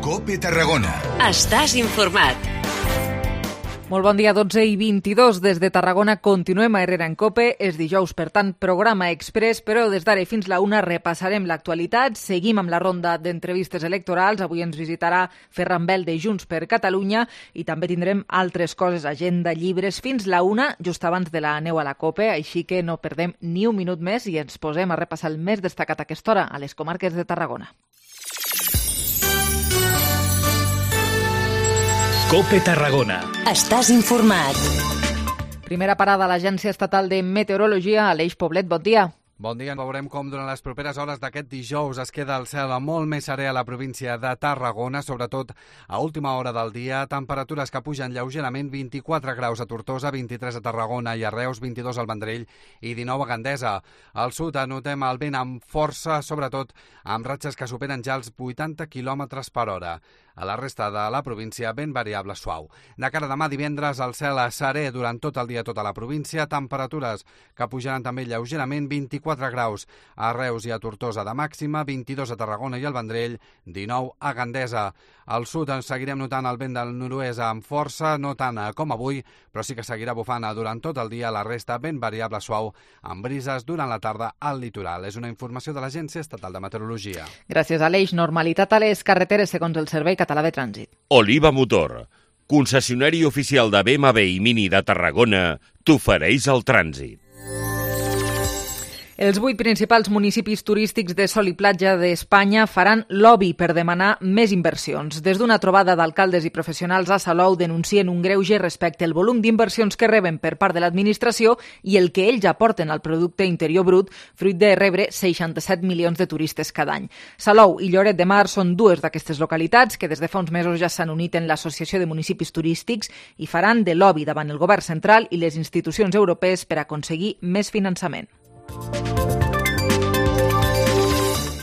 COPE Tarragona. Estàs informat. Molt bon dia, 12:22. Des de Tarragona continuem a Herrera en COPE. És dijous, per tant, programa express, però des d'ara fins la 1 repassarem l'actualitat. Seguim amb la ronda d'entrevistes electorals. Avui ens visitarà Ferran Bel de Junts per Catalunya i també tindrem altres coses, agenda, llibres, fins la 1, just abans de la neu a la COPE. Així que no perdem ni un minut més i ens posem a repassar el més destacat a aquesta hora a les comarques de Tarragona. COPE Tarragona. Estàs informat. Primera parada a l'Agència Estatal de Meteorologia, Aleix Poblet, bon dia. Bon dia. Veurem com durant les properes hores d'aquest dijous es queda el cel molt més serè a la província de Tarragona, sobretot a última hora del dia. Temperatures que pugen lleugerament, 24 graus a Tortosa, 23 a Tarragona i a Reus, 22 al Vendrell i 19 a Gandesa. Al sud anotem el vent amb força, sobretot amb ratxes que superen ja els 80 km per hora. A la resta de la província, vent variable suau. De cara a demà divendres, el cel serè durant tot el dia a tota la província, temperatures que pujaran també lleugerament, 24 graus a Reus i a Tortosa de màxima, 22 a Tarragona i al Vendrell, 19 a Gandesa. Al sud ens seguirem notant el vent del nord-oest amb força, no tant com avui, però sí que seguirà bufant durant tot el dia. La resta, vent variable suau, amb brises durant la tarda al litoral. És una informació de l'Agència Estatal de Meteorologia. Gràcies, Aleix. Normalitat a les carreteres, segons el Servei Català de Trànsit. Oliva Motor, concessionari oficial de BMW i Mini de Tarragona, t'ofereix el trànsit. Els 8 principals municipis turístics de sol i platja d'Espanya faran lobby per demanar més inversions. Des d'una trobada d'alcaldes i professionals a Salou denuncien un greuge respecte al volum d'inversions que reben per part de l'administració i el que ells aporten al producte interior brut, fruit de rebre 67 milions de turistes cada any. Salou i Lloret de Mar són dues d'aquestes localitats que des de fa uns mesos ja s'han unit en l'Associació de Municipis Turístics i faran de lobby davant el govern central i les institucions europees per aconseguir més finançament.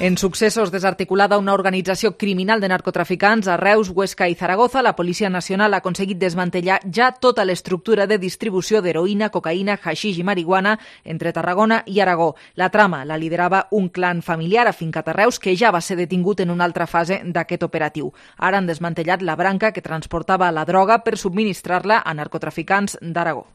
En successos, desarticulada una organització criminal de narcotraficants a Reus, Huesca i Zaragoza, la Policia Nacional ha aconseguit desmantellar ja tota l'estructura de distribució d'heroïna, cocaïna, haixix i marihuana entre Tarragona i Aragó. La trama la liderava un clan familiar afincat a Reus que ja va ser detingut en una altra fase d'aquest operatiu. Ara han desmantellat la branca que transportava la droga per subministrar-la a narcotraficants d'Aragó.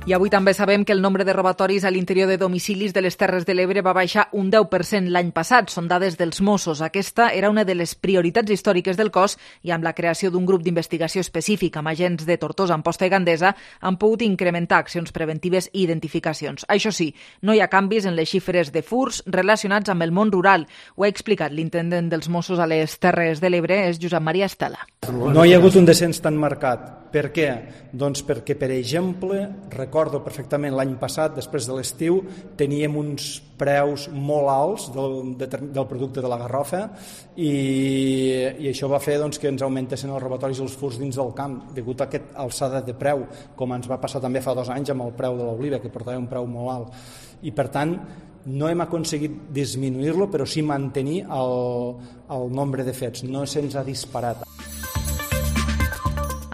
I avui també sabem que el nombre de robatoris a l'interior de domicilis de les Terres de l'Ebre va baixar un 10% l'any passat. Són dades dels Mossos. Aquesta era una de les prioritats històriques del cos i amb la creació d'un grup d'investigació específic amb agents de Tortosa, Amposta i Gandesa han pogut incrementar accions preventives i identificacions. Això sí, no hi ha canvis en les xifres de furts relacionats amb el món rural. Ho ha explicat l'intendent dels Mossos a les Terres de l'Ebre, és Josep Maria Estela. No hi ha hagut un descens tan marcat. Per què? Doncs perquè, per exemple, recordo perfectament l'any passat, després de l'estiu, teníem uns preus molt alts del producte de la garrofa i això va fer doncs, que ens augmentessin els robatoris i els furts dins del camp, degut a aquesta alçada de preu, com ens va passar també fa 2 anys amb el preu de l'oliva, que portava un preu molt alt. I, per tant, no hem aconseguit disminuir-lo, però sí mantenir el nombre de fets. No se'ns ha disparat.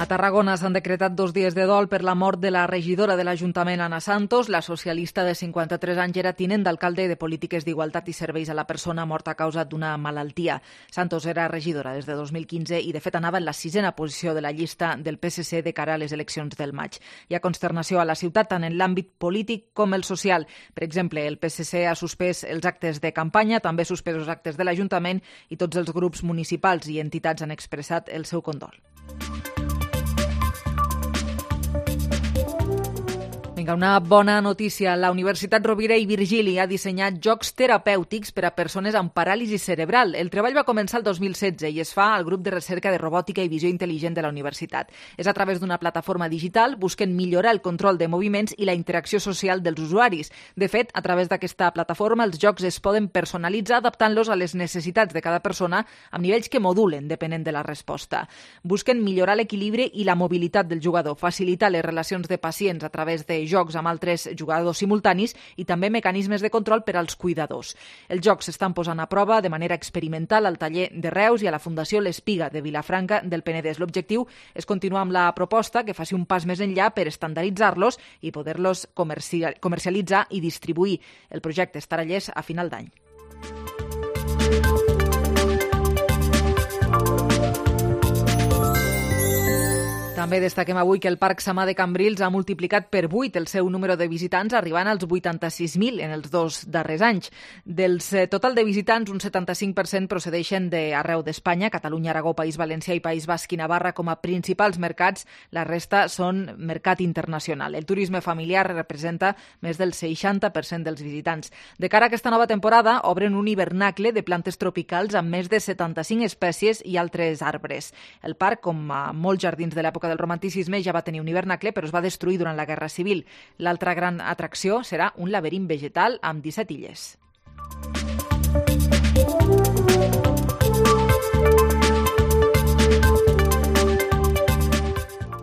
A Tarragona s'han decretat 2 dies de dol per la mort de la regidora de l'Ajuntament, Anna Santos. La socialista de 53 anys era tinent d'alcalde de Polítiques d'Igualtat i Serveis a la Persona morta a causa d'una malaltia. Santos era regidora des de 2015 i, de fet, anava en la 6a posició de la llista del PSC de cara a les eleccions del maig. Hi ha consternació a la ciutat tant en l'àmbit polític com el social. Per exemple, el PSC ha suspès els actes de campanya, també suspesos actes de l'Ajuntament i tots els grups municipals i entitats han expressat el seu condol. Vinga, una bona notícia. La Universitat Rovira i Virgili ha dissenyat jocs terapèutics per a persones amb paràlisi cerebral. El treball va començar el 2016 i es fa al grup de recerca de robòtica i visió intel·ligent de la universitat. És a través d'una plataforma digital, busquen millorar el control de moviments i la interacció social dels usuaris. De fet, a través d'aquesta plataforma, els jocs es poden personalitzar adaptant-los a les necessitats de cada persona amb nivells que modulen depenent de la resposta. Busquen millorar l'equilibri i la mobilitat del jugador, facilitar les relacions de pacients a través de jocs amb altres jugadors simultanis i també mecanismes de control per als cuidadors. Els jocs s'estan posant a prova de manera experimental al taller de Reus i a la Fundació L'Espiga de Vilafranca del Penedès. L'objectiu és continuar amb la proposta que faci un pas més enllà per estandarditzar-los i poder-los comercialitzar i distribuir. El projecte estarà llest a final d'any. També destaquem avui que el Parc Samà de Cambrils ha multiplicat per 8 el seu número de visitants, arribant als 86.000 en els 2 darrers anys. Del total de visitants, un 75% procedeixen d'arreu d'Espanya, Catalunya, Aragó, País Valencià i País Basc i Navarra com a principals mercats. La resta són mercat internacional. El turisme familiar representa més del 60% dels visitants. De cara a aquesta nova temporada, obren un hivernacle de plantes tropicals amb més de 75 espècies i altres arbres. El parc, com a molts jardins de l'època del romanticisme, ja va tenir un hivernacle, però es va destruir durant la Guerra Civil. L'altra gran atracció serà un laberint vegetal amb 17 illes.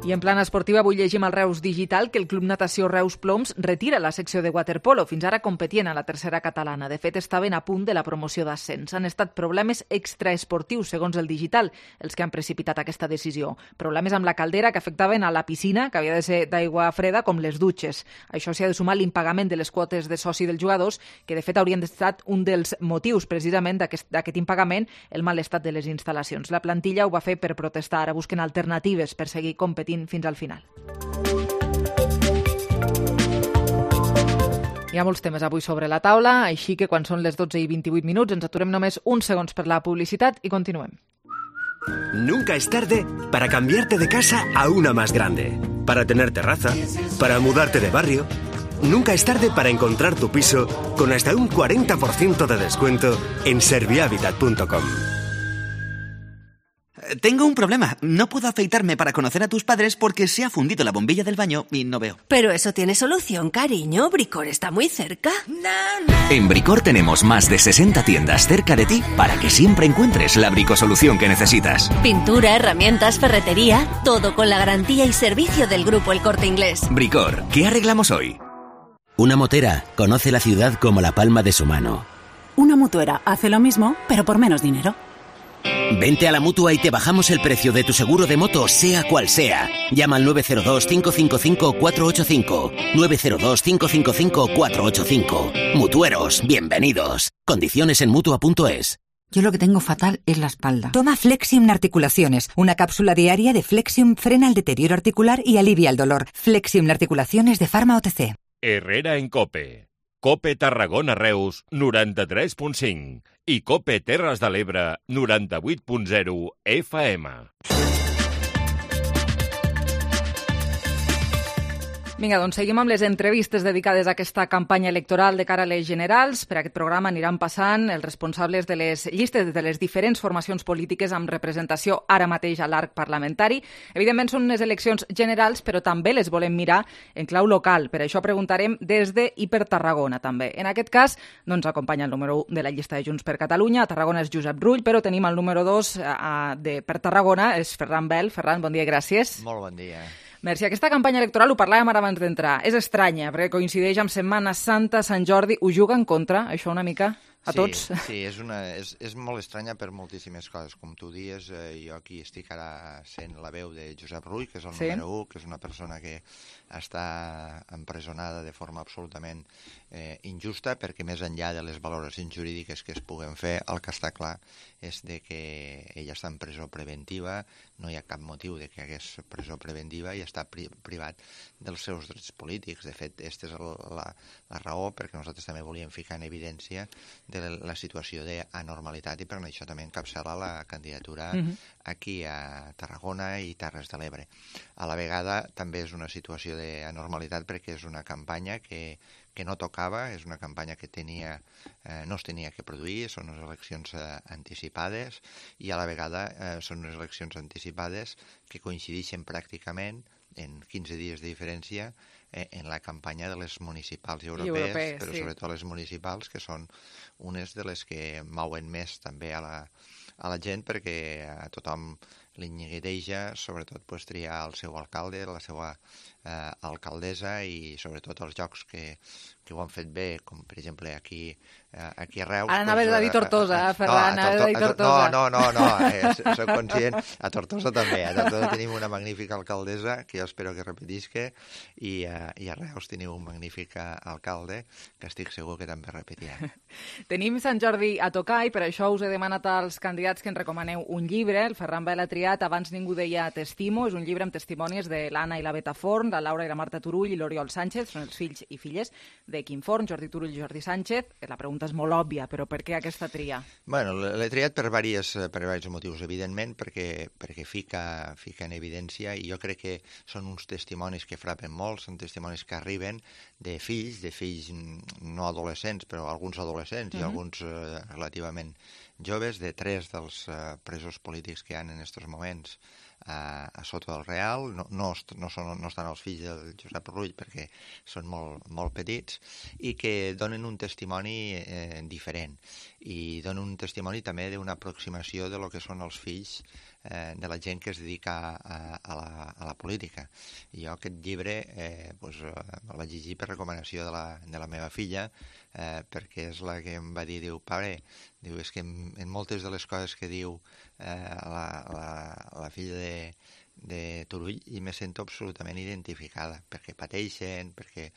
I en plana esportiva avui llegim al Reus Digital que el Club Natació Reus Ploms retira la secció de waterpolo. Fins ara competien a la tercera catalana. De fet, estaven a punt de la promoció d'ascens. Han estat problemes extraesportius, segons el Digital, els que han precipitat aquesta decisió. Problemes amb la caldera que afectaven a la piscina, que havia de ser d'aigua freda, com les dutxes. Això s'hi ha de sumar l'impagament de les quotes de soci dels jugadors, que de fet haurien estat un dels motius precisament d'aquest impagament, el mal estat de les instal·lacions. La plantilla ho va fer per protestar. Ara busquen alternatives per seguir competint fins al final. Hi ha molts temes avui sobre la taula, així que quan són les 12:28 ens aturem només uns segons per la publicitat i continuem. Nunca es tarde para cambiarte de casa a una más grande, para tener terraza, para mudarte de barrio. Nunca es tarde para encontrar tu piso con hasta un 40% de descuento en servihabitat.com. Tengo un problema. No puedo afeitarme para conocer a tus padres porque se ha fundido la bombilla del baño y no veo. Pero eso tiene solución, cariño. Bricor está muy cerca. En Bricor tenemos más de 60 tiendas cerca de ti para que siempre encuentres la bricosolución que necesitas. Pintura, herramientas, ferretería, todo con la garantía y servicio del grupo El Corte Inglés. Bricor, ¿qué arreglamos hoy? Una motera conoce la ciudad como la palma de su mano. Una mutuera hace lo mismo, pero por menos dinero. Vente a la Mutua y te bajamos el precio de tu seguro de moto, sea cual sea. Llama al 902-555-485. 902-555-485. Mutueros, bienvenidos. Condiciones en Mutua.es. Yo lo que tengo fatal es la espalda. Toma Flexium Articulaciones. Una cápsula diaria de Flexium frena el deterioro articular y alivia el dolor. Flexium Articulaciones de Pharma OTC. Herrera en COPE. COPE Tarragona Reus 93.5 i COPE Terres de l'Ebre 98.0 FM. Vinga, doncs seguim amb les entrevistes dedicades a aquesta campanya electoral de cara a les generals. Per aquest programa aniran passant els responsables de les llistes de les diferents formacions polítiques amb representació ara mateix a l'arc parlamentari. Evidentment són unes eleccions generals, però també les volem mirar en clau local. Per això preguntarem des de i per Tarragona, també. En aquest cas, no ens acompanya el número 1 de la llista de Junts per Catalunya. A Tarragona és Josep Rull, però tenim el número 2 per Tarragona, és Ferran Bel. Ferran, bon dia i gràcies. Molt bon dia. Merci. Aquesta campanya electoral, ho parlàvem ara abans d'entrar, és estranya, perquè coincideix amb Setmana Santa, Sant Jordi. Ho juga en contra, això una mica, a tots? Sí, és molt estranya per moltíssimes coses. Com tu dius, jo aquí estic ara sent la veu de Josep Rull, que és el número 1, que és una persona que està empresonada de forma absolutament injusta, perquè més enllà de les valoracions jurídiques que es puguen fer, el que està clar és de que ella està en presó preventiva, no hi ha cap motiu de que hagués presó preventiva i està privat dels seus drets polítics. De fet, aquesta és la raó perquè nosaltres també volíem ficar en evidència de la situació d'anormalitat i per això també encapçala la candidatura aquí a Tarragona i Terres de l'Ebre. A la vegada també és una situació d'anormalitat perquè és una campanya que no tocava, és una campanya que no es tenia que produir, són unes eleccions anticipades i a la vegada són unes eleccions anticipades que coincideixen pràcticament en 15 dies de diferència en la campanya de les municipals i europees, però sobretot les municipals, que són unes de les que mouen més també a la gent perquè a tothom li nyigueteja, sobretot triar el seu alcalde, la seva alcaldessa i sobretot els jocs que ho han fet bé, com per exemple aquí a Reus. Ara anaves a dir Tortosa, Ferran, anaves a dir Tortosa. No, soc conscient. A Tortosa també. A Tortosa tenim una magnífica alcaldessa que jo espero que repetisca i a Reus teniu un magnífic alcalde que estic segur que també repetirà. Tenim Sant Jordi a tocar i per això us he demanat als candidats que ens recomaneu un llibre. El Ferran Bel ha triat Abans ningú deia t'estimo. És un llibre amb testimonis de l'Anna i la Beta Forn, la Laura i la Marta Turull i l'Oriol Sánchez. Són els fills i filles de Quim Forn, Jordi Turull i Jordi Sánchez. La pregunta és molt òbvia, però per què aquesta tria? Bueno, l'he triat per diversos motius. Evidentment, perquè fica en evidència, i jo crec que són uns testimonis que frapen molt, són testimonis que arriben de fills no adolescents, però alguns adolescents i alguns relativament joves, de 3 dels presos polítics que hi ha en aquests moments a sota del Real. No estan els fills del Josep Rull perquè són molt petits, i que donen un testimoni diferent, i donen un testimoni també d'una aproximació de lo que són els fills de la gent que es dedica a la política. I jo aquest llibre el vaig llegir per recomanació de la meva filla, perquè és la que em va dir, diu, pare, és que en moltes de les coses que diu la filla de Turull i me sento absolutament identificada, perquè pateixen, perquè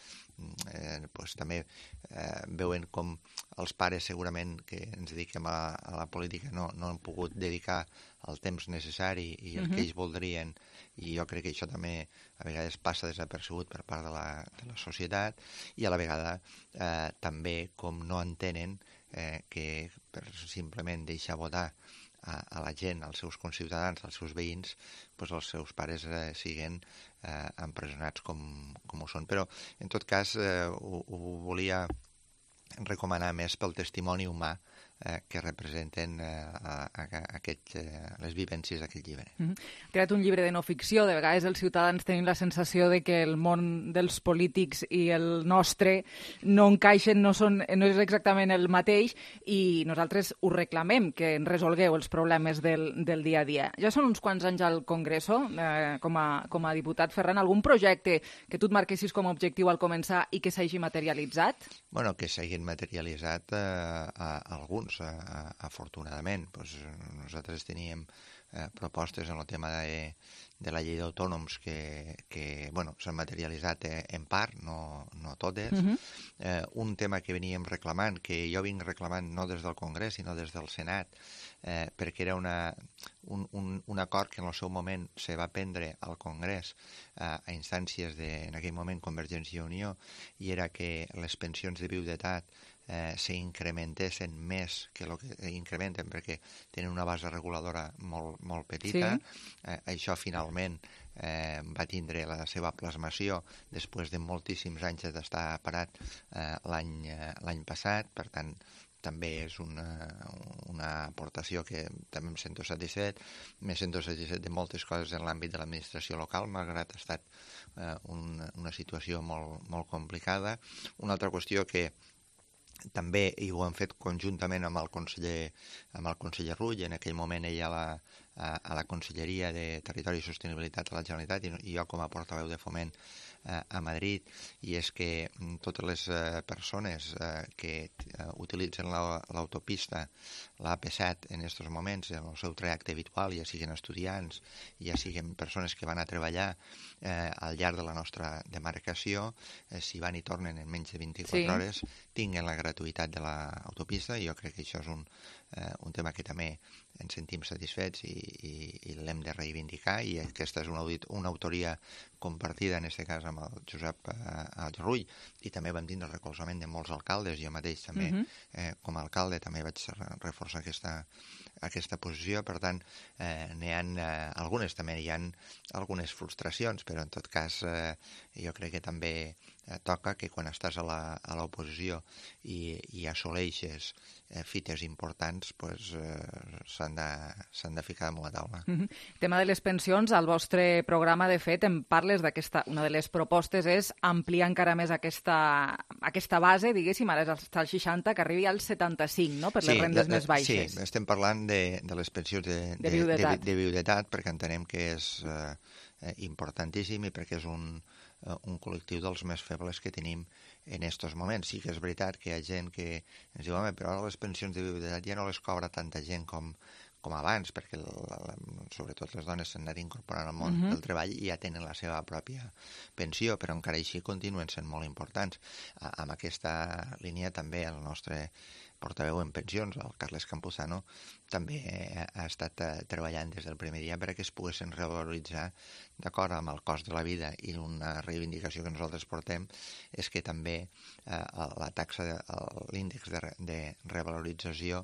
també veuen com els pares segurament que ens dediquem a la política no han pogut dedicar el temps necessari i el que ells voldrien, i jo crec que això també a vegades passa desapercebut per part de la societat, i a la vegada també com no entenen que per simplement deixar votar a la gent, als seus conciutadans, als seus veïns, els seus pares siguen empresonats com ho són. Però, en tot cas, ho volia recomanar més pel testimoni humà que representen les vivències d'aquest llibre. Ha creat un llibre de no ficció. De vegades els ciutadans tenim la sensació de que el món dels polítics i el nostre no encaixen, no és exactament el mateix, i nosaltres us reclamem que en resolgueu els problemes del dia a dia. Ja són uns quants anys al Congreso com a diputat. Ferran, algun projecte que tu et marquessis com a objectiu al començar i que s'hagi materialitzat? Bueno, que s'hagin materialitzat alguns, afortunadament. Nosaltres teníem propostes en el tema de la llei d'autònoms que s'han materialitzat en part, no totes. Un tema que veníem reclamant, que jo vinc reclamant no des del Congrés, sinó des del Senat, perquè era un acord que en el seu moment se va prendre al Congrés a instàncies en aquell moment Convergència i Unió, i era que les pensions de viudetat s'incrementessin més que el que incrementen, perquè tenen una base reguladora molt petita. Això finalment va tindre la seva plasmació després de moltíssims anys d'estar parat l'any passat. Per tant, també és una aportació que també em sento satisfet. Me sento satisfet de moltes coses en l'àmbit de l'administració local, malgrat ha estat una situació molt complicada. Una altra qüestió que també, i ho hem fet conjuntament amb el conseller Rull, en aquell moment ella a la Conselleria de Territori i Sostenibilitat de la Generalitat i jo com a portaveu de Foment a Madrid, i és que totes les persones que utilitzen l'autopista, l'AP7 en aquests moments, en el seu trajecte habitual, ja siguin estudiants, ja siguin persones que van a treballar al llarg de la nostra demarcació, si van i tornen en menys de 24 hores, tinguen la gratuïtat de l'autopista, i jo crec que això és un tema que també ens sentim satisfets i l'hem de reivindicar, i aquesta és una autoria compartida, en aquest cas amb el Josep Rull, i també vam tindre el recolzament de molts alcaldes. Jo mateix també, com a alcalde, també vaig reforçar aquesta posició. Per tant, n'hi ha algunes, també hi ha algunes frustracions, però en tot cas jo crec que també toca que quan estàs a l'oposició i assoleixes fites importants, s'han de ficar damunt la taula. El tema de les pensions, al vostre programa, de fet, em parles d'aquesta... Una de les propostes és ampliar encara més aquesta base, diguéssim, ara és al 60, que arribi al 75, no?, per les rendes més baixes. Sí, estem parlant de les pensions de viudetat, perquè entenem que és importantíssim i perquè és un col·lectiu dels més febles que tenim en aquests moments. Sí que és veritat que hi ha gent que ens diu, home, però ara les pensions de viudetat ja no les cobra tanta gent com com abans, perquè sobretot les dones s'han anat incorporant al món del treball i ja tenen la seva pròpia pensió, però encara així continuen sent molt importants. Amb aquesta línia també el nostre portaveu en pensions, el Carles Campuzano, també ha estat treballant des del primer dia perquè es poguessin revaloritzar d'acord amb el cost de la vida, i una reivindicació que nosaltres portem és que també la taxa, l'índex de revalorització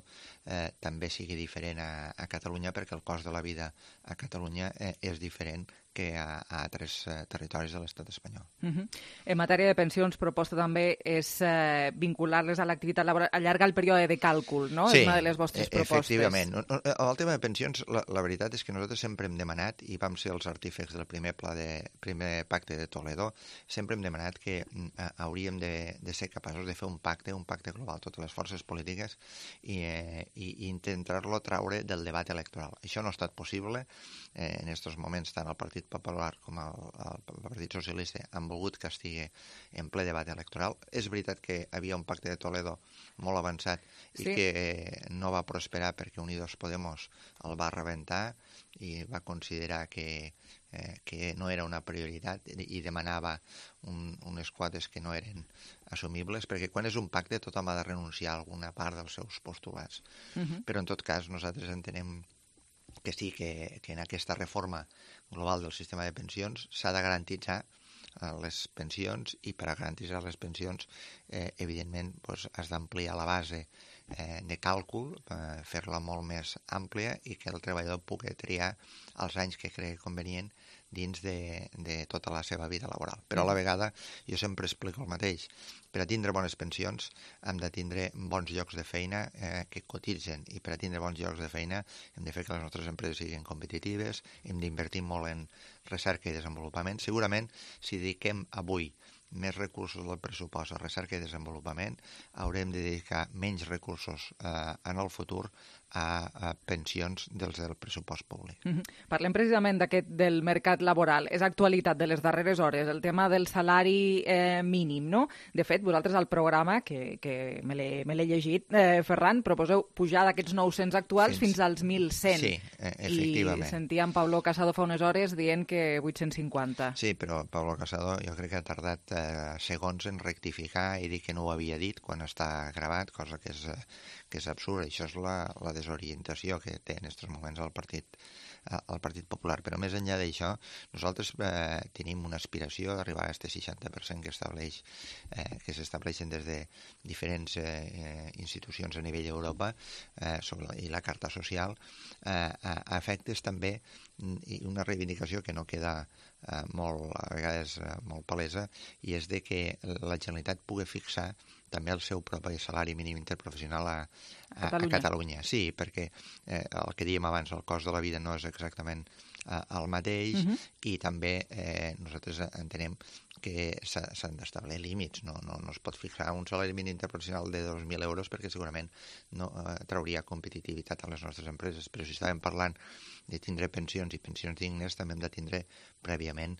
també sigui diferent a Catalunya, perquè el cost de la vida a Catalunya és diferent que a altres territoris de l'estat espanyol. En matèria de pensions, proposta també és vincular-les a l'activitat laboral, allargar el període de càlcul, no? Sí, és una de les vostres propostes. Efectivament. El tema de pensions, la veritat és que nosaltres sempre hem demanat, i vam ser els artífecs del primer pacte de Toledo, sempre hem demanat que hauríem de ser capaços de fer un pacte global, totes les forces polítiques, i intentar-lo traure del debat electoral. Això no ha estat possible. En aquests moments, tant el Partit Popular com el Partit Socialista han volgut que estigui en ple debat electoral. És veritat que havia un pacte de Toledo molt avançat i que no va prosperar perquè Unidos Podemos el va rebentar i va considerar que no era una prioritat i demanava unes quotes que no eren assumibles, perquè quan és un pacte tothom ha de renunciar a alguna part dels seus postulats. Però en tot cas nosaltres entenem que sí, que en aquesta reforma global del sistema de pensions s'ha de garantitzar les pensions, i per a garantitzar les pensions evidentment has d'ampliar la base de càlcul, fer-la molt més àmplia i que el treballador pugui triar els anys que cregui convenient dins de tota la seva vida laboral. Però a la vegada jo sempre explico el mateix. Per a tindre bones pensions hem de tindre bons llocs de feina que cotitzen, i per a tindre bons llocs de feina hem de fer que les nostres empreses siguin competitives, hem d'invertir molt en recerca i desenvolupament. Segurament, si dediquem avui més recursos del pressupost a recerca i desenvolupament, haurem de dedicar menys recursos en el futur a pensions dels del pressupost públic. Parlem precisament del mercat laboral. És actualitat de les darreres hores, el tema del salari mínim, no? De fet, vosaltres al programa, que me l'he llegit, Ferran, proposeu pujar d'aquests 900 actuals fins als 1.100. Sí, efectivament. I sentíem Pablo Casado fa unes hores dient que 850. Sí, però Pablo Casado jo crec que ha tardat segons en rectificar i dir que no ho havia dit quan està gravat, cosa que és absurda. Això és la desorientació que té en aquests moments el Partit Popular. Però més enllà d'això, nosaltres tenim una aspiració d'arribar a aquest 60% que s'estableixen des de diferents institucions a nivell d'Europa i la Carta Social, a efectes també, i una reivindicació que no queda a vegades molt palesa, i és de que la Generalitat pugui fixar també el seu propi salari mínim interprofessional a Catalunya. Sí, perquè el que dèiem abans, el cost de la vida no és exactament el mateix, i també nosaltres entenem que s'han d'establir límits. No es pot fixar un salari mínim interprofessional de 2.000 euros perquè segurament no trauria competitivitat a les nostres empreses. Però si estàvem parlant de tindre pensions i pensions dignes, també hem de tindre prèviament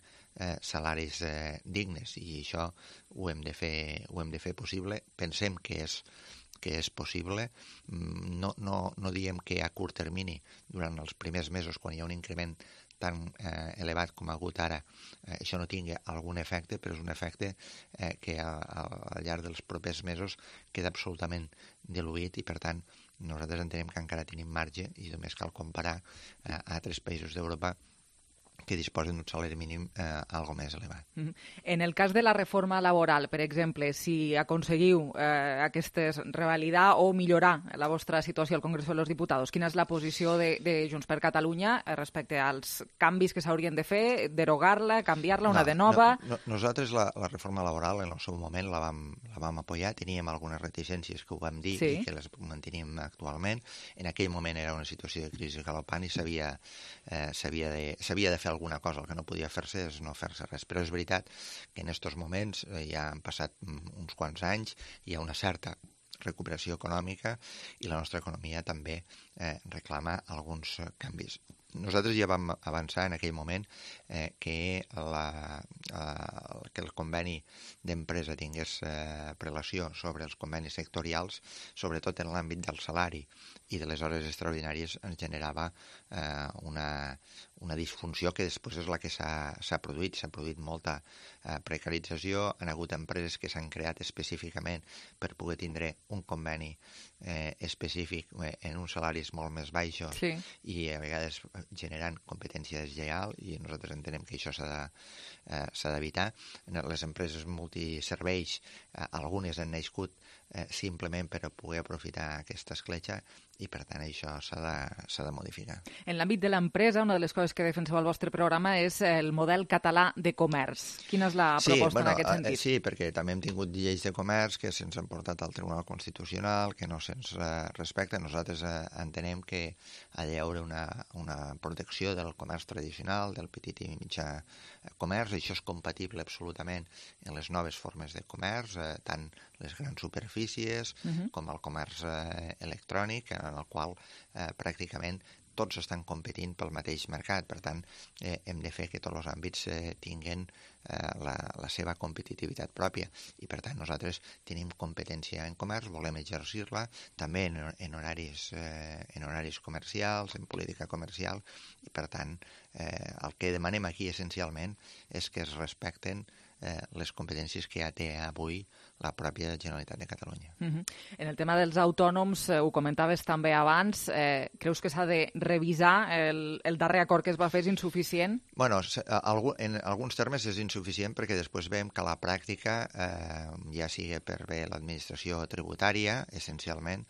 salaris dignes, i això ho hem de fer possible. Pensem que és possible. No diem que a curt termini, durant els primers mesos, quan hi ha un increment tan elevat com ha hagut ara, això no tingui algun efecte, però és un efecte que al llarg dels propers mesos queda absolutament diluït, i per tant nosaltres entenem que encara tenim marge, i només cal comparar a altres països d'Europa que disposen d'un salari mínim algo més elevat. En el cas de la reforma laboral, per exemple, si aconseguiu revalidar o millorar la vostra situació al Congreso de los Diputados, quina és la posició de Junts per Catalunya respecte als canvis que s'haurien de fer, derogar-la, canviar-la, una de nova? Nosaltres la reforma laboral en el seu moment la vam apoyar, teníem algunes reticències que ho vam dir i que les mantenim actualment. En aquell moment era una situació de crisi galopant i s'havia de fer alguna cosa. El que no podia fer-se és no fer-se res. Però és veritat que en aquests moments ja han passat uns quants anys, hi ha una certa recuperació econòmica i la nostra economia també reclama alguns canvis. Nosaltres ja vam avançar en aquell moment que el conveni d'empresa tingués prelació sobre els convenis sectorials, sobretot en l'àmbit del salari, i de les hores extraordinàries ens generava una disfunció que després és la que s'ha produït. S'ha produït molta precarització, han hagut empreses que s'han creat específicament per poder tindre un conveni específic en uns salaris molt més baixos i a vegades generant competència deslleial, i nosaltres entenem que això s'ha d'evitar. Les empreses multiserveis, algunes han nascut simplement per a poder aprofitar aquesta escletxa i, per tant, això s'ha de modificar. En l'àmbit de l'empresa, una de les coses que defenseu al vostre programa és el model català de comerç. Quina és la proposta en aquest sentit? Sí, perquè també hem tingut lleis de comerç que se'ns han portat al Tribunal Constitucional, que no se'ns respecten. Nosaltres entenem que ha d'haver una protecció del comerç tradicional, del petit i mitjà comerç. Això és compatible absolutament en les noves formes de comerç, tant les grans superfícies com el comerç electrònic, en el qual pràcticament tots estan competint pel mateix mercat. Per tant, hem de fer que tots els àmbits tinguin la seva competitivitat pròpia. I, per tant, nosaltres tenim competència en comerç, volem exercir-la, també en horaris comercials, en política comercial, i, per tant, el que demanem aquí essencialment és que es respecten les competències que ja té avui la pròpia Generalitat de Catalunya. En el tema dels autònoms, ho comentaves també abans, creus que s'ha de revisar el darrer acord que es va fer és insuficient? Bueno, en alguns termes és insuficient perquè després veiem que a la pràctica, ja sigui per bé l'administració tributària, essencialment,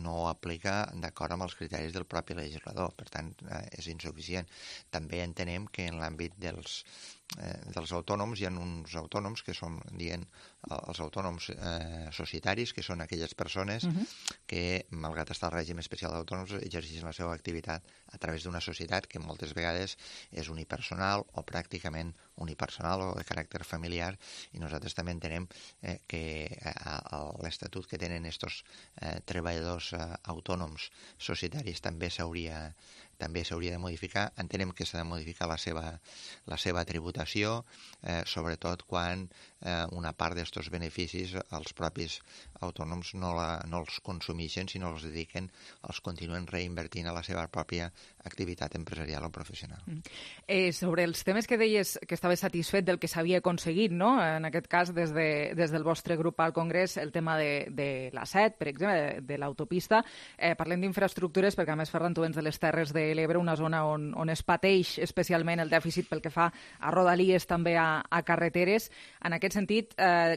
no aplica d'acord amb els criteris del propi legislador. Per tant, és insuficient. També entenem que en l'àmbit dels autònoms hi ha uns autònoms que són, dient, els autònoms societaris, que són aquelles persones que, malgrat estar al règim especial d'autònoms, exerceixen la seva activitat a través d'una societat que moltes vegades és unipersonal o pràcticament unipersonal o de caràcter familiar, i nosaltres també entenem que l'estatut que tenen aquests treballadors autònoms societaris també s'hauria de modificar. Entenem que s'ha de modificar la seva tributació, sobretot quan una part d'aquests beneficis els propis autònoms no els consumeixen, sinó els dediquen, els continuen reinvertint a la seva pròpia activitat empresarial o professional. Sobre els temes que deies que estaves satisfet del que s'havia aconseguit, no? En aquest cas, des del vostre grup al Congrés, el tema de la C7, per exemple, de l'autopista. Parlem d'infraestructures, perquè a més, Ferran, tu vens de les Terres de l'Ebre, una zona on es pateix especialment el dèficit pel que fa a rodalies, també a carreteres. En aquest sentit,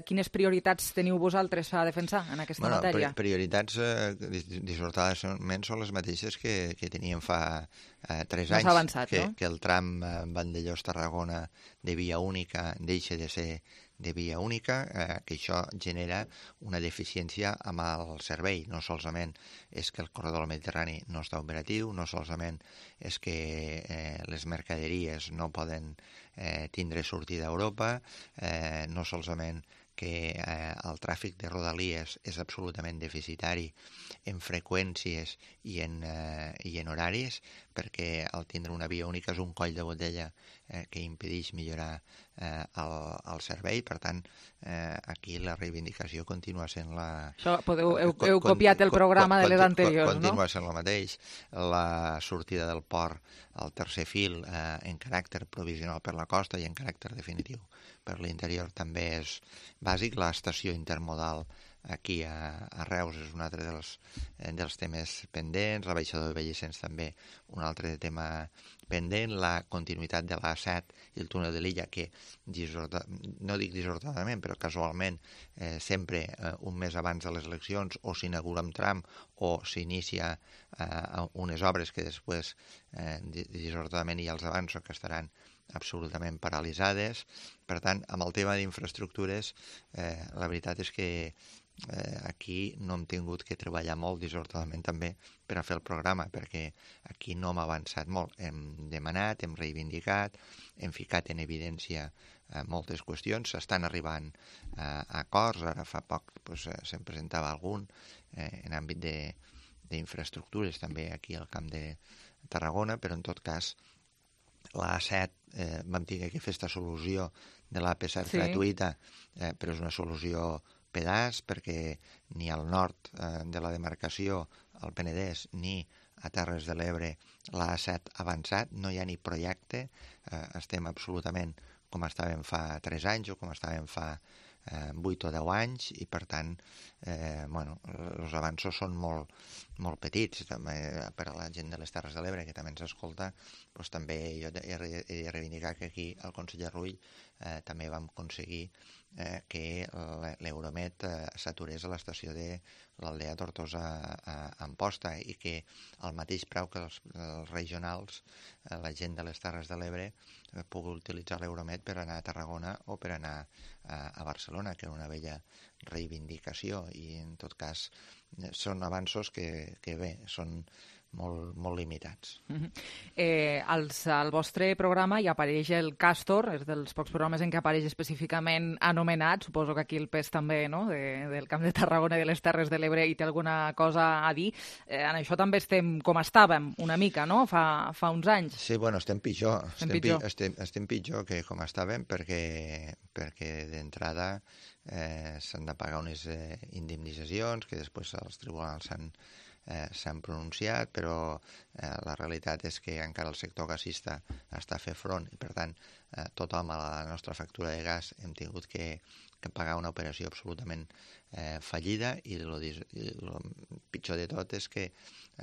quines prioritats teniu vosaltres a defensar en aquesta matèria? Prioritats dissortadament són les mateixes que teníem fa 3 anys, que el tram Vandellòs-Tarragona de via única deixa de ser de via única, que això genera una deficiència amb el servei. No solament és que el corredor del Mediterrani no està operatiu, no solament és que les mercaderies no poden tindre sortida a Europa, no solament que el tràfic de rodalies és absolutament deficitari en freqüències i en horaris, perquè al tindre una via única és un coll de botella que impedeix millorar el servei. Per tant, aquí la reivindicació continua sent la... Heu copiat el programa de les anteriors, no? Continua sent el mateix. La sortida del port al tercer fil en caràcter provisional per la costa i en caràcter definitiu per l'interior també és bàsic. L'estació intermodal aquí a Reus és un altre dels temes pendents, la baixada de Bellicens també un altre tema pendent, la continuïtat de l'A7 i el túnel de l'Illa, que no dic dissortadament, però casualment sempre un mes abans de les eleccions o s'inaugura un tram o s'inicia unes obres que després dissortadament ja els avanço que estaran absolutament paralitzades. Per tant, amb el tema d'infraestructures, la veritat és que aquí no hem tingut que treballar molt dissortadament també per a fer el programa, perquè aquí no hem avançat molt. Hem demanat, hem reivindicat, hem ficat en evidència moltes qüestions, s'estan arribant a acords. Ara fa poc se'n presentava algun en àmbit d'infraestructures també aquí al Camp de Tarragona, però en tot cas l'A7 vam tenir que fer aquesta solució de l'AP7 gratuïta, però és una solució pedaç, perquè ni al nord de la demarcació al Penedès ni a Terres de l'Ebre l'A7 avançat, no hi ha ni projecte, estem absolutament com estàvem fa 3 anys o com estàvem fa 8 o 10 anys, i per tant els avanços són molt petits. També per a la gent de les Terres de l'Ebre, que també ens escolta, doncs també jo he de reivindicar que aquí al conseller Rull també vam aconseguir que l'Euromed s'aturés a l'estació de l'Aldea Tortosa a Amposta, i que al mateix preu que els regionals, la gent de les Terres de l'Ebre pugui utilitzar l'Euromed per anar a Tarragona o per anar a Barcelona, que era una vella reivindicació, i en tot cas són avanços que bé, són molt limitats. Al vostre programa hi apareix el Càstor, és dels pocs programes en què apareix específicament anomenat, suposo que aquí el pes també, no?, del Camp de Tarragona i de les Terres de l'Ebre, i té alguna cosa a dir. En això també estem com estàvem, una mica, no?, fa uns anys. Sí, bueno, estem pitjor. Estem pitjor que com estàvem, perquè d'entrada s'han de pagar unes indemnitzacions que després els tribunals s'han pronunciat, però la realitat és que encara el sector gasista està a fer front, i per tant tothom a la nostra factura de gas hem tingut que pagar una operació absolutament fallida, i el pitjor de tot és que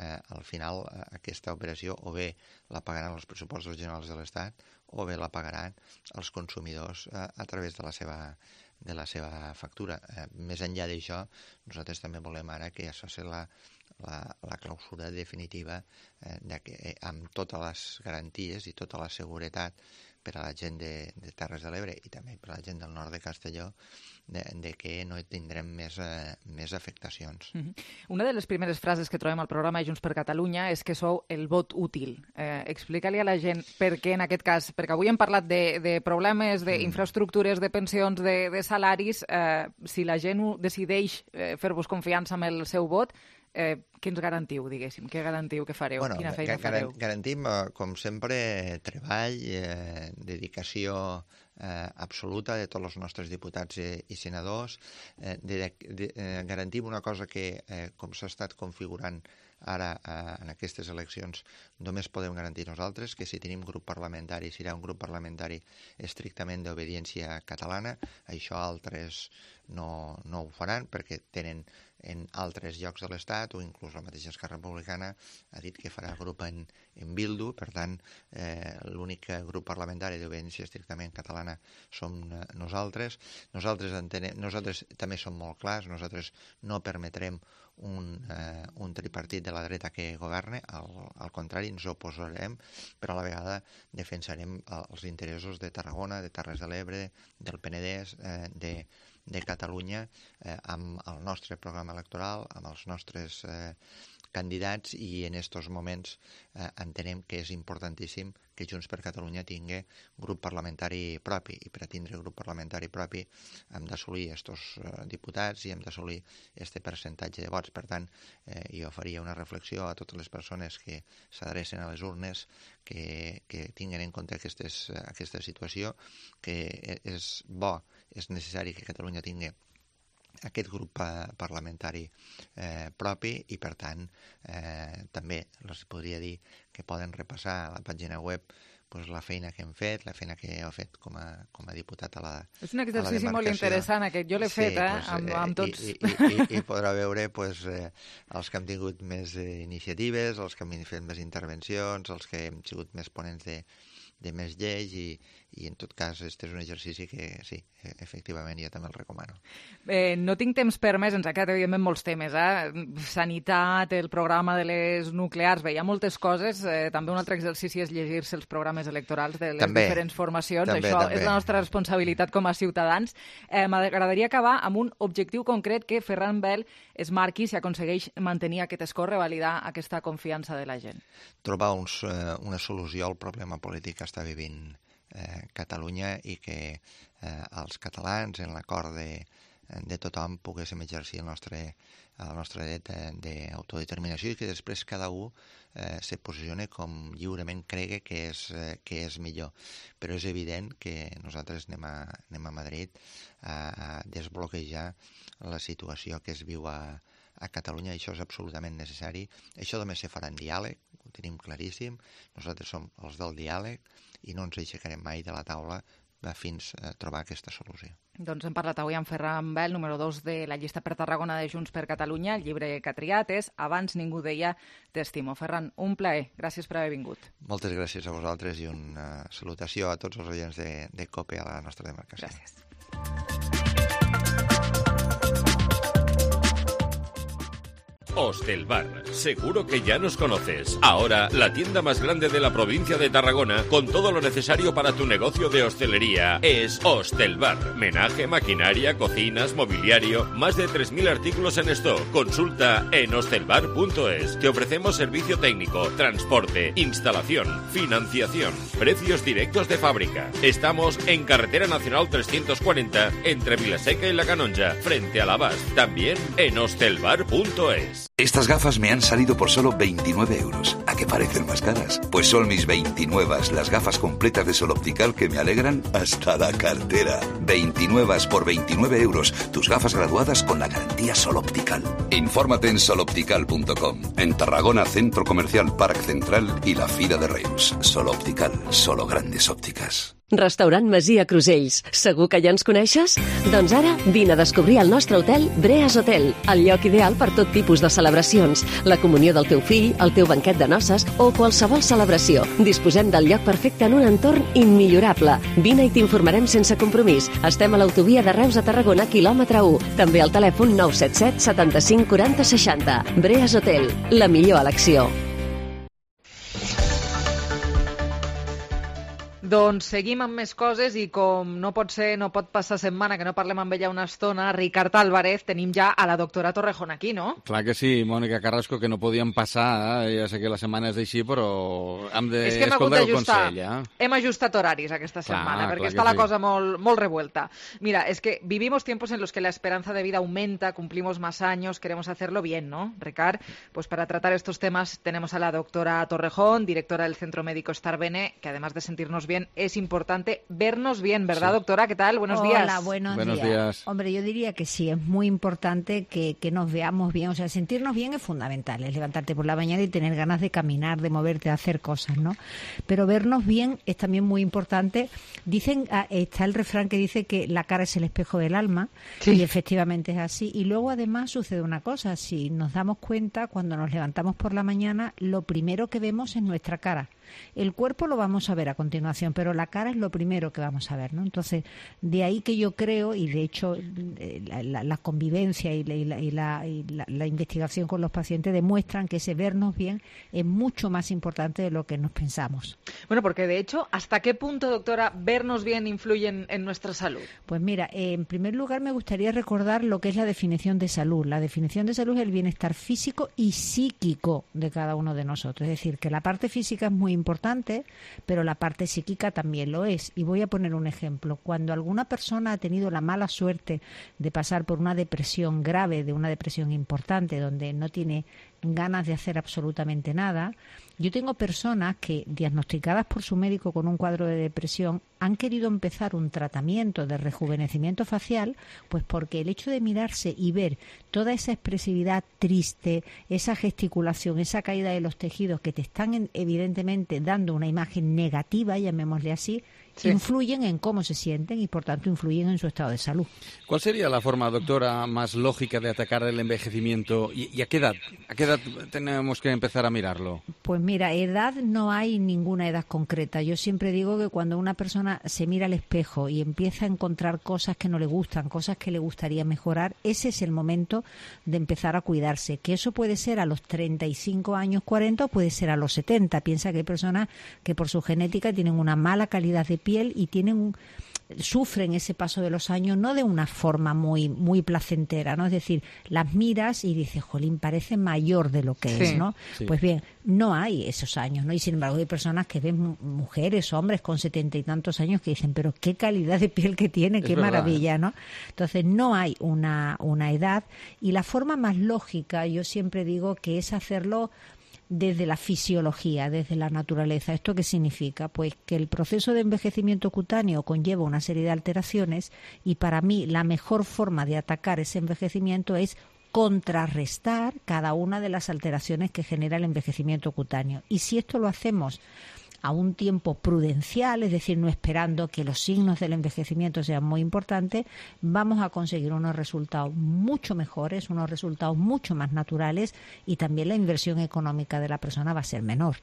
al final aquesta operació o bé la pagaran els pressupostos generals de l'Estat o bé la pagaran els consumidors a través de la seva factura. Més enllà d'això, nosaltres també volem ara que això sigui la clausura definitiva amb totes les garanties i tota la seguretat per a la gent de Terres de l'Ebre i també per a la gent del nord de Castelló, de que no tindrem més afectacions. Una de les primeres frases que trobem al programa de Junts per Catalunya és que sou el vot útil. Explica-li a la gent per què en aquest cas, perquè avui hem parlat de problemes, d'infraestructures, de pensions, de salaris. Si la gent decideix fer-vos confiança amb el seu vot, què ens garantiu, diguéssim? Què garantiu que fareu? Quina feina fareu? Garantim, com sempre, treball, dedicació absoluta de tots els nostres diputats i senadors. Garantim una cosa que, com s'ha estat configurant ara en aquestes eleccions, només podem garantir nosaltres, que si tenim grup parlamentari serà un grup parlamentari estrictament d'obediència catalana. Això altres no ho faran perquè tenen en altres llocs de l'Estat, o inclús la mateixa Esquerra Republicana ha dit que farà grup en Bildu. Per tant, l'únic grup parlamentari d'obediència estrictament catalana som nosaltres. Nosaltres també som molt clars, nosaltres no permetrem un tripartit de la dreta que governe, al contrari, ens oposarem, però a la vegada defensarem els interessos de Tarragona, de Terres de l'Ebre, del Penedès, de Catalunya, amb el nostre programa electoral, amb els nostres candidats, i en aquests moments entenem que és importantíssim que Junts per Catalunya tingui grup parlamentari propi, i per a tindre grup parlamentari propi hem d'assolir aquests diputats i hem d'assolir aquest percentatge de vots. Per tant, jo faria una reflexió a totes les persones que s'adrecen a les urnes que tinguin en compte aquesta situació, que és bo, és necessari que Catalunya tingui aquest grup parlamentari propi, i per tant també els podria dir que poden repassar a la pàgina web la feina que hem fet, la feina que heu fet com a diputat a la demarcació. És un exercici molt interessant aquest, jo l'he fet amb tots. I podrà veure els que hem tingut més iniciatives, els que hem fet més intervencions, els que hem sigut més ponents de més lleis, i en tot cas este és un exercici que sí, efectivament jo també el recomano. No tinc temps per més, ens ha quedat evidentment molts temes, sanitat, el programa de les nuclears, hi ha moltes coses. També un altre exercici és llegir-se els programes electorals de les diferents formacions. Això és la nostra responsabilitat com a ciutadans. M'agradaria acabar amb un objectiu concret que Ferran Bel es marqui si aconsegueix mantenir aquest escó, revalidar aquesta confiança de la gent. Trobar una solució al problema polític que està vivint Catalunya, i que els catalans, en l'acord de tothom, poguéssim exercir el nostre dret d'autodeterminació, i que després cada un se posicione com lliurement cregui que és millor. Però és evident que nosaltres anem a Madrid a desbloquejar la situació que es viu a a Catalunya això és absolutament necessari. Això només se farà en diàleg, ho tenim claríssim. Nosaltres som els del diàleg i no ens aixecarem mai de la taula fins a trobar aquesta solució. Doncs hem parlat avui amb Ferran Bel, número 2 de la llista per Tarragona de Junts per Catalunya. El llibre que ha triat és Abans ningú deia t'estimo. Ferran, un plaer. Gràcies per haver vingut. Moltes gràcies a vosaltres i una salutació a tots els oients de COPE a la nostra demarcació. Gràcies. Hostelbar, seguro que ya nos conoces. Ahora, la tienda más grande de la provincia de Tarragona, con todo lo necesario para tu negocio de hostelería, es Hostelbar. Menaje, maquinaria, cocinas, mobiliario, más de 3.000 artículos en stock. Consulta en hostelbar.es. Te ofrecemos servicio técnico, transporte, instalación, financiación, precios directos de fábrica. Estamos en Carretera Nacional 340, entre Vilaseca y La Canonja, frente a la Bas. También en hostelbar.es. Estas gafas me han salido por solo 29 euros. ¿A qué parecen más caras? Pues son mis 29, las gafas completas de Sol Optical que me alegran hasta la cartera. 29 por 29 euros. Tus gafas graduadas con la garantía Sol Optical. Infórmate en soloptical.com. En Tarragona, Centro Comercial Parc Central y la Fira de Reus. Sol Optical, solo grandes ópticas. Restaurant Masia Crusells. Segur que ja ens coneixes? Doncs ara vine a descobrir el nostre hotel Breas Hotel, el lloc ideal per tot tipus de celebracions, la comunió del teu fill, el teu banquet de noces o qualsevol celebració. Disposem del lloc perfecte en un entorn immillorable. Vine i t'informarem sense compromís. Estem a l'autovia de Reus a Tarragona, quilòmetre 1. També al telèfon 977 75 40 60. Breas Hotel, la millor elecció. Doncs seguim amb més coses i com no pot ser, no pot passar setmana que no parlem amb ella una estona, Ricard Álvarez, tenim ja a la doctora Torrejón aquí, no? Clar que sí, Mònica Carrasco, que no podíem passar, ja sé que la setmana és així, però hem d'escoltar el consell. Hem ajustat horaris aquesta setmana, perquè està la cosa molt revuelta. Mira, es que vivimos tiempos en los que la esperanza de vida aumenta, cumplimos más años, queremos hacerlo bien, ¿no, Ricard? Pues para tratar estos temas tenemos a la doctora Torrejón, directora del Centro Médico Estar Bene, que además de sentirnos bien, es importante vernos bien, ¿verdad, doctora? ¿Qué tal? Buenos días. Hola, buenos días. Hombre, yo diría que sí, es muy importante que nos veamos bien. O sea, sentirnos bien es fundamental, es levantarte por la mañana y tener ganas de caminar, de moverte, de hacer cosas, ¿no? Pero vernos bien es también muy importante. Dicen, está el refrán que dice que la cara es el espejo del alma, y efectivamente es así. Y luego, además, sucede una cosa. Si nos damos cuenta, cuando nos levantamos por la mañana, lo primero que vemos es nuestra cara. El cuerpo lo vamos a ver a continuación, pero la cara es lo primero que vamos a ver, ¿no? Entonces, de ahí que yo creo, y de hecho la convivencia y la investigación con los pacientes demuestran que ese vernos bien es mucho más importante de lo que nos pensamos. Bueno, porque de hecho, ¿hasta qué punto, doctora, vernos bien influye en nuestra salud? Pues mira, en primer lugar me gustaría recordar lo que es la definición de salud. La definición de salud es el bienestar físico y psíquico de cada uno de nosotros. Es decir, que la parte física es muy importante, pero la parte psíquica también lo es. Y voy a poner un ejemplo. Cuando alguna persona ha tenido la mala suerte de pasar por una depresión grave, de una depresión importante, donde no tiene ganas de hacer absolutamente nada, yo tengo personas que, diagnosticadas por su médico con un cuadro de depresión, han querido empezar un tratamiento de rejuvenecimiento facial, pues porque el hecho de mirarse y ver toda esa expresividad triste, esa gesticulación, esa caída de los tejidos que te están evidentemente dando una imagen negativa, llamémosle así, influyen en cómo se sienten y, por tanto, influyen en su estado de salud. ¿Cuál sería la forma, doctora, más lógica de atacar el envejecimiento y a qué edad? ¿A qué edad tenemos que empezar a mirarlo? Pues mira, edad no hay ninguna edad concreta. Yo siempre digo que cuando una persona se mira al espejo y empieza a encontrar cosas que no le gustan, cosas que le gustaría mejorar, ese es el momento de empezar a cuidarse. Que eso puede ser a los 35 años, 40 o puede ser a los 70. Piensa que hay personas que por su genética tienen una mala calidad de piel y sufren ese paso de los años no de una forma muy placentera, ¿no? Es decir, las miras y dices, jolín, parece mayor de lo que es, ¿no? Sí. Pues bien, no hay esos años, ¿no? Y sin embargo hay personas que ven mujeres, hombres con 70 y tantos años que dicen, pero qué calidad de piel que tiene, qué maravilla, ¿no? Entonces no hay una edad, y la forma más lógica, yo siempre digo que es hacerlo desde la fisiología, desde la naturaleza. ¿Esto qué significa? Pues que el proceso de envejecimiento cutáneo conlleva una serie de alteraciones, y para mí la mejor forma de atacar ese envejecimiento es contrarrestar cada una de las alteraciones que genera el envejecimiento cutáneo. Y si esto lo hacemos a un tiempo prudencial, es decir, no esperando que los signos del envejecimiento sean muy importantes, vamos a conseguir unos resultados mucho mejores, unos resultados mucho más naturales, y también la inversión económica de la persona va a ser menor.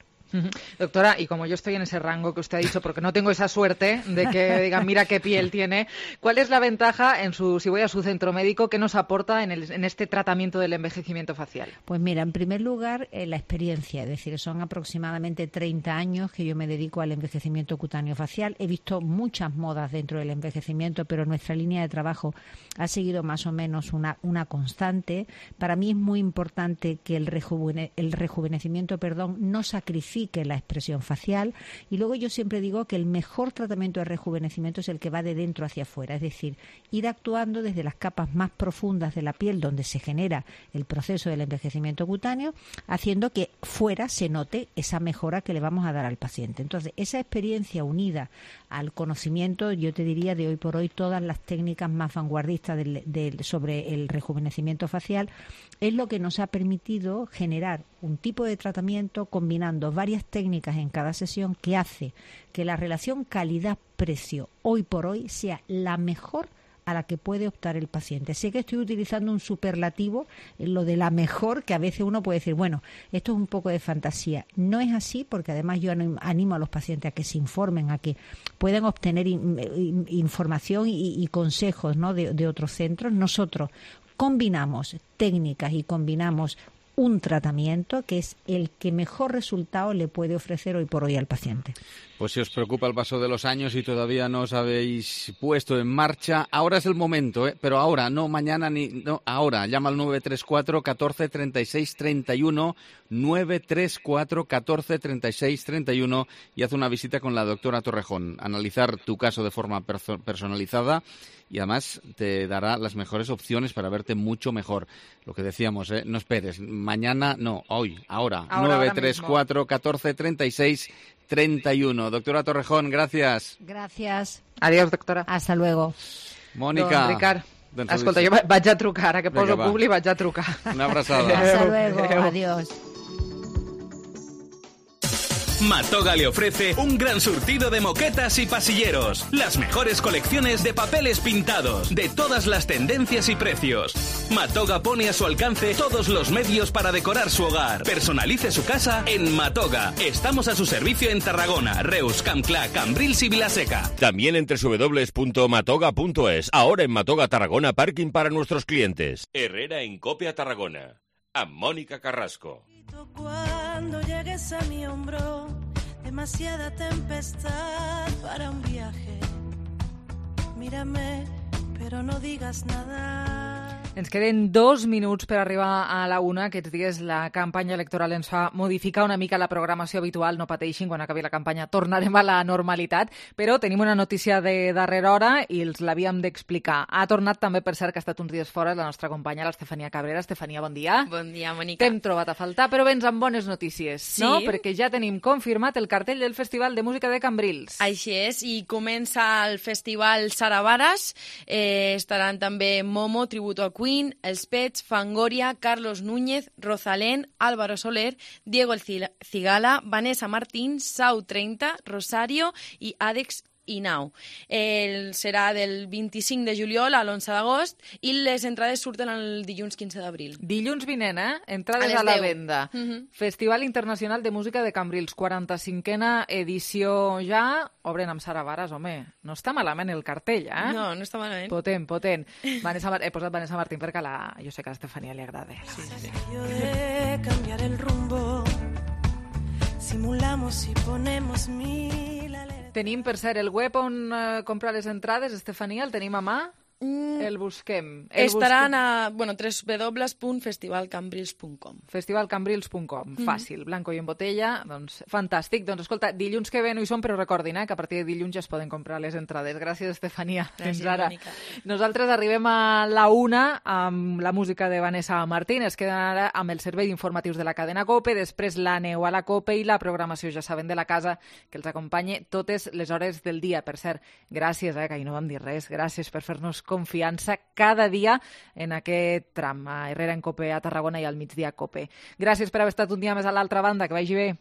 Doctora, y como yo estoy en ese rango que usted ha dicho, porque no tengo esa suerte de que digan, mira qué piel tiene, ¿cuál es la ventaja, si voy a su centro médico, qué nos aporta en este tratamiento del envejecimiento facial? Pues mira, en primer lugar, la experiencia, es decir, son aproximadamente 30 años que yo me dedico al envejecimiento cutáneo facial. He visto muchas modas dentro del envejecimiento, pero nuestra línea de trabajo ha seguido más o menos una constante. Para mí es muy importante que el rejuvenecimiento no sacrifique la expresión facial, y luego yo siempre digo que el mejor tratamiento de rejuvenecimiento es el que va de dentro hacia afuera, es decir, ir actuando desde las capas más profundas de la piel donde se genera el proceso del envejecimiento cutáneo, haciendo que fuera se note esa mejora que le vamos a dar al paciente. Entonces, esa experiencia unida al conocimiento, yo te diría de hoy por hoy, todas las técnicas más vanguardistas sobre el rejuvenecimiento facial, es lo que nos ha permitido generar un tipo de tratamiento combinando varias técnicas en cada sesión, que hace que la relación calidad-precio hoy por hoy sea la mejor a la que puede optar el paciente. Sé que estoy utilizando un superlativo, lo de la mejor, que a veces uno puede decir, bueno, esto es un poco de fantasía. No es así, porque además yo animo a los pacientes a que se informen, a que puedan obtener información y consejos, ¿no?, de otros centros. Nosotros combinamos técnicas y combinamos un tratamiento que es el que mejor resultado le puede ofrecer hoy por hoy al paciente. Pues si os preocupa el paso de los años y todavía no os habéis puesto en marcha, ahora es el momento, pero ahora, no mañana ahora. Llama al 934 14 36 31, 934 14 36 31 y haz una visita con la doctora Torrejón. Analizar tu caso de forma personalizada y además te dará las mejores opciones para verte mucho mejor. Lo que decíamos, no esperes, mañana no, hoy, ahora 934 14 36 31. Doctora Torrejón, gracias. Gracias. Adiós, doctora. Hasta luego. Mònica. Ricard, escolta, jo vaig a trucar, ara que poso publi vaig a trucar. Una abraçada. Hasta luego, adiós. Matoga le ofrece un gran surtido de moquetas y pasilleros, las mejores colecciones de papeles pintados, de todas las tendencias y precios. Matoga pone a su alcance todos los medios para decorar su hogar. Personalice su casa en Matoga. Estamos a su servicio en Tarragona, Reus, Campclà, Cambrils y Vilaseca. También en www.matoga.es. Ahora en Matoga Tarragona, parking para nuestros clientes. Herrera en Copia Tarragona. A Mónica Carrasco. Cuando llegues a mi hombro, demasiada tempestad para un viaje. Mírame, però no digues nada. Ens queden 2 minuts per arribar a la 1. Aquests dies la campanya electoral ens fa modificar una mica la programació habitual. No pateixin, quan acabi la campanya tornarem a la normalitat. Però tenim una notícia de darrera hora i els l'havíem d'explicar. Ha tornat també, per cert, que ha estat uns dies fora, la nostra companya, l'Estefania Cabrera. Estefania, bon dia. Bon dia, Mònica. T'hem trobat a faltar, però vens amb bones notícies, sí, no? Perquè ja tenim confirmat el cartell del Festival de Música de Cambrils. Així és, i comença el Festival Saravaras. Estaran també Momo, Tributo a Queen, Els Pets, Fangoria, Carlos Núñez, Rosalén, Álvaro Soler, Diego el Cigala, Vanessa Martín, Sau 30, Rosario i Àdex Inau. Serà del 25 de juliol a l'11 d'agost i les entrades surten el dilluns 15 d'abril. Dilluns vinent, entrades a la venda. Festival Internacional de Música de Cambrils, 45a edició ja. Obren amb Saravaras, home. No està malament el cartell, No, no està malament. Potent, potent. He posat Vanessa Martín perquè jo sé que a Estefania li agrada. Sí. Yo de cambiar el rumbo, simulamos y ponemos mil alertas. Tenim, per cert, el web on comprar les entrades, Estefania, el tenim a mà? El busquem. Estaran a www.festivalcambrils.com. Festivalcambrils.com, fàcil, blanco i en botella, doncs fantàstic. Doncs escolta, dilluns que ve no hi som, però recordin que a partir de dilluns ja es poden comprar les entrades. Gràcies, Estefania. Gràcies, ara. Mònica. Nosaltres arribem a la 1 amb la música de Vanessa Martín. Es queden ara amb el servei d'informatius de la cadena COPE, després l'Aneu a la COPE i la programació, ja saben, de la casa, que els acompanye totes les hores del dia. Per cert, gràcies, que ahir no vam dir res. Gràcies per fer-nos confiança cada dia en aquest tram, a Herrera en Cope a Tarragona i al migdia a Cope. Gràcies per haver estat un dia més a l'altra banda, que vagi bé.